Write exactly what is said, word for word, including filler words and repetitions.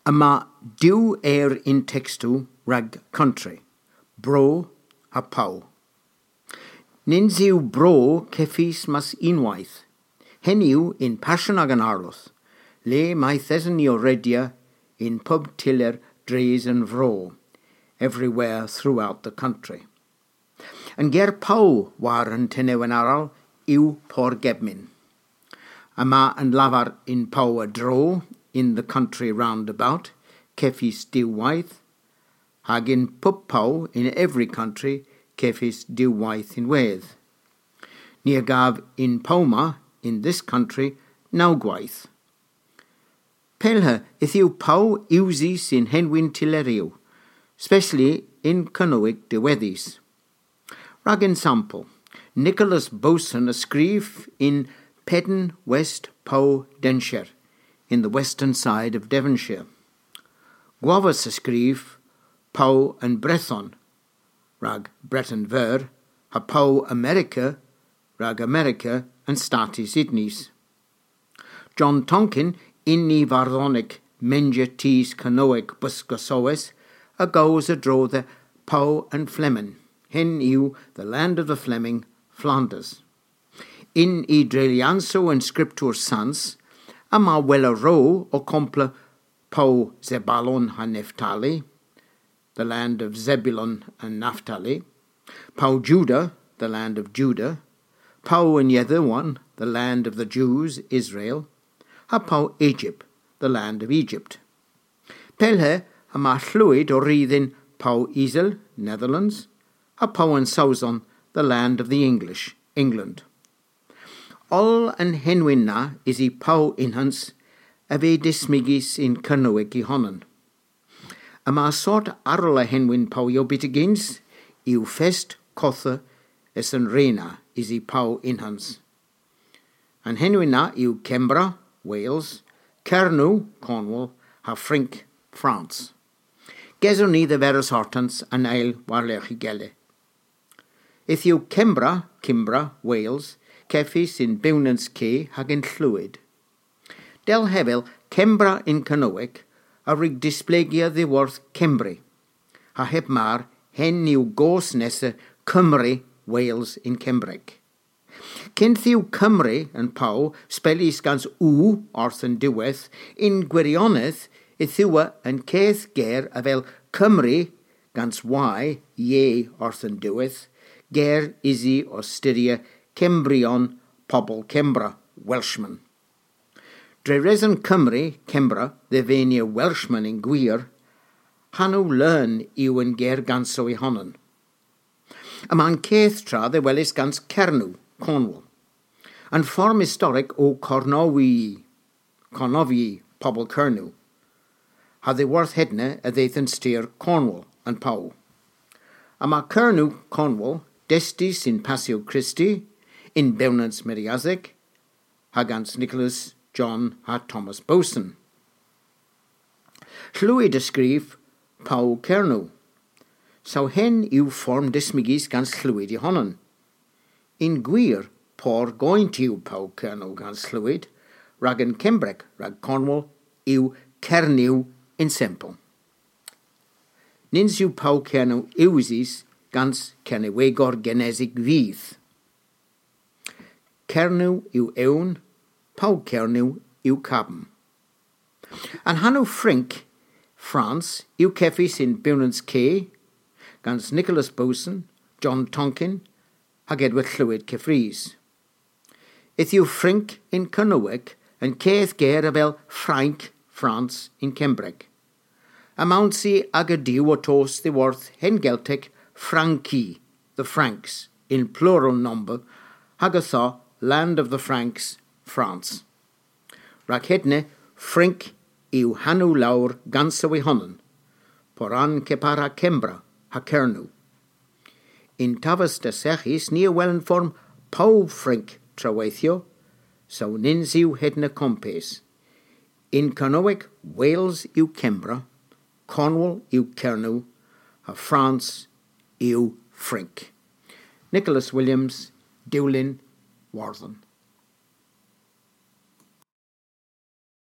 Yma diw eyr yn tekstow rag country, bro ha pow. Nyns yw bro kevys mes unnweyth. Henn yw yn Passion a'gan Arlodh, le mayth esen ni ow redya yn pub tyller dres an vro, everywhere throughout the country. An ger pow war an tenewen arall yw porgebmyn. Yma an lavar yn pow a-dro, in the country round about, kevys diw weyth, hag yn pub pow, in every country, kevys diw weyth ynwedh. Ni a gav yn pow ma, in this country, naw gweyth. Pellhe yth yw pow usys yn henwyn tylleryow, specially yn Kernowek diwedhys. Rag ensampel, Nicholas Boson a skrif yn Pedn West Pow Denshir, in the western side of Devonshire. Gwavas a skrif pow an Brethon, rag Breten Veur, ha pow Amerika, rag Amerika an Statys Unys. John Tonkin, yn y vardhonek Menja Tus Kernowek Buskosowes, a gows a-dro dhe pow an Fleming, henn yw the land of the Fleming, Flanders. Yn y dreylyansow an Skriptur Sans, yma wella ro ow kompla pow Zebalon ha Neftali, the land of Zebulun and Naphtali, pow Juda, the land of Judah, pow an Iedhewan, the land of the Jews, Israel, ha pow Egypt, the land of Egypt. Pellhe yma hlwyd ow ri dhyn pow Isel, Netherlands, ha pow an Sowson, the land of the English, England. Oll an henwyn na usi pow ynghans a veu dismygys yn Kernowek y honan. Yma sort arall a henwyn powyow byttegyns, yw fest kotha es an re na usi pow ynghans. An henwyn na yw Kembra, Wales, Kernow, Cornwall, ha Frynk, France. Gesewgh ni dhe weres ortans an eyl war-lergh ygelle. Yth yw Kembra, Kimbra, Wales, kevys yn bewnans ke hag yn hlwyd. Dell hevel, Kembra yn Kernowek a wrug displegya dhyworth Kembri, ha heb mar, henn yw goos nessa Kymry, Wales yn Kembrek. Kynth yw Kymry an pow spelys gans W orth an diwedh, yn gwirionedh yth yw an keth ger avel Cymru gans Y, Y orth an diwedh, ger usi ow styrya Kembrion, pobel Kembra, Welshmen. Dre reson Kymru, Kembra, dhe venia Welshmen yn gwir, hanow leun yw an ger ganso y honan. Yma an keth tra dhe weles gans Kernow, Cornwall. An form istorek o Kornowi, Kornowi, pobel Kernow. Ha dhyworth hedna a dheuth an styr Cornwall, an pow. Yma Kernow, Cornwall, destus yn Passyow Kristi, yn bewnans Meriasek, ha gans Nicholas, John ha Thomas Boson. Hlwyd a skrif pow Kernow. Saw henn yw form dismygys gans hlwyd y honan. Yn gwir, por goynt yw pow Kernow gans hlwyd, rag an Kembrek, rag Cornwall, yw Kernyw yn sempel. Nyns yw pow Kernow usys gans Kernewegor genesik vyth. Kernow yw ewn, pow Kernow yw kabm. An hanow Frynk, France, yw kevys yn bewnans ke, gans Nicholas Boson, John Tonkin, hag Edward Hlwyd keffrys. Yth yw Frynk yn Kernowek an keth ger avel Frank, France, yn Kembrek. Yma ownsi aga diw ow tos dhyworth Hen Geltek Franki, the Franks, yn plural nomber, hag ytho Land of the Franks, France. Rag hedna, Frynk yw hanow lowr ganso y honan, poran kepar ha Kembra ha Kernow. Yn Tavas des Eghis ni a wel an form pow Frynk traweythyow, saw nyns yw hedna kompes. Yn Kernowek, Wales yw Kembra, Cornwall yw Kernow, ha France yw Frynk. Nicholas Williams, Dewlin, Wordhen.